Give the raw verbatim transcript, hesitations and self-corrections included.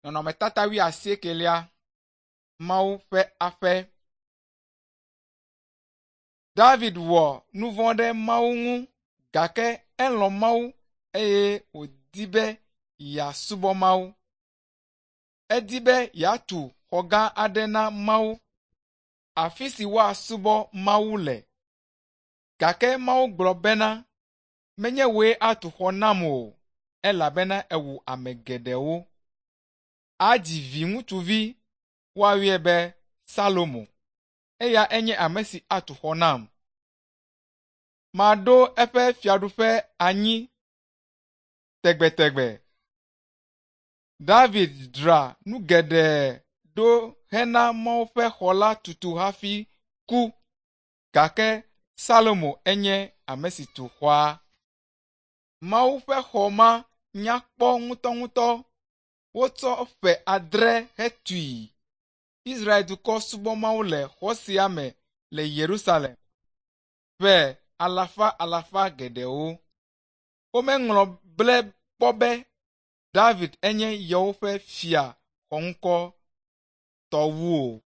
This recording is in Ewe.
Nɔnɔmetata wuiasiekelia, Mawu ƒe aƒe. David wɔ nu vɔ̃ ɖe Mawu ŋu gake elɔ̃ Mawu eye wòdi be yeasubɔ Mawu. Edi be yeatu xɔ gã aɖe na Mawu, afi si woasubɔ Mawu le. Gake Mawu gblɔ bena, menye wòe atu xɔ nam o, elabena èwu ame geɖewo. Adzi viŋutsuvi, woayɔe be Salomo. Eya enye ame si atu xɔ nam. Maɖo eƒe fiaɖuƒe anyi tegbetegbe. David dzra nu geɖe ɖo hena Mawu ƒe xɔ la tutu hafi ku gake Salomo enye ame si tu xɔa. Mawu ƒe xɔ ma nya kpɔ ŋutɔŋutɔ. Wotsɔ ƒe adre hetui. Israel dukɔ subɔ Mawu le xɔ sia me le Yerusalem ƒe alafa alafa geɖewo. Womeŋlɔ ble kpɔ be David enye yewoƒe fia xɔŋkɔtɔ wu o.